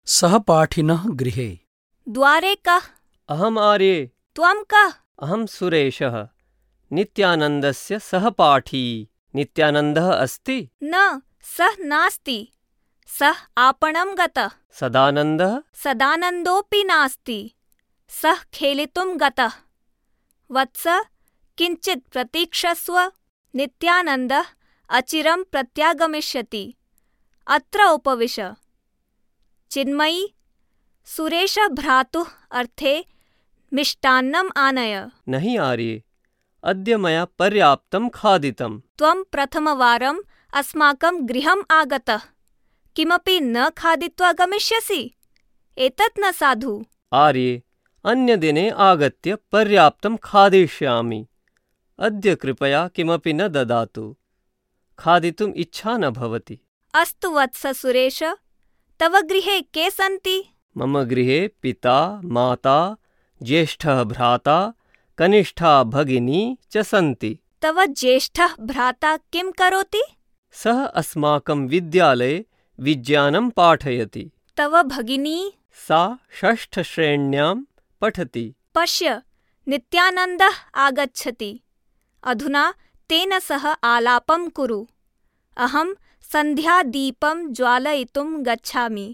सहपाठिनः गृहे। द्वारे कः? अहम् आर्ये। त्वं कः? अहं सुरेशः, नित्यानन्दस्य सहपाठी। नित्यानन्दः अस्ति? न, सः नास्ति। सः आपणं गतः। सदानन्दः? सदानन्दोऽपि नास्ति। सः खेलितुं गतः। वत्स, किञ्चित् प्रतीक्षस्व। नित्यानन्दः अचिरं प्रत्यागमिष्यति। अत्र उपविश। चिन्मयी, सुरेशभ्रातुः अर्थे मिष्टान्नम् आनय। नहि आर्ये, अद्य मया पर्याप्तं खादितं। त्वं प्रथमवारम् अस्माकं गृहम् आगतः। किमपि न खादित्वा गमिष्यसि? एतत् न साधु। आर्ये, अन्यदिने आगत्य पर्याप्तं खादिष्यामि। अद्य कृपया किमपि न ददातु। खादितुम् इच्छा न भवति। अस्तु वत्स सुरेश, तव गृहे के सन्ति? मम गृहे पिता, माता, ज्येष्ठः भ्राता, कनिष्ठा भगिनी च सन्ति। तव ज्येष्ठः भ्राता किं करोति? सः अस्माकं विद्यालये विज्ञानं पाठयति। तव भगिनी? सा षष्ठश्रेण्यां पठति। पश्य, नित्यानन्दः आगच्छति। अधुना तेन सह आलापं कुरु। अहं सन्ध्यादीपं ज्वालयितुं गच्छामि।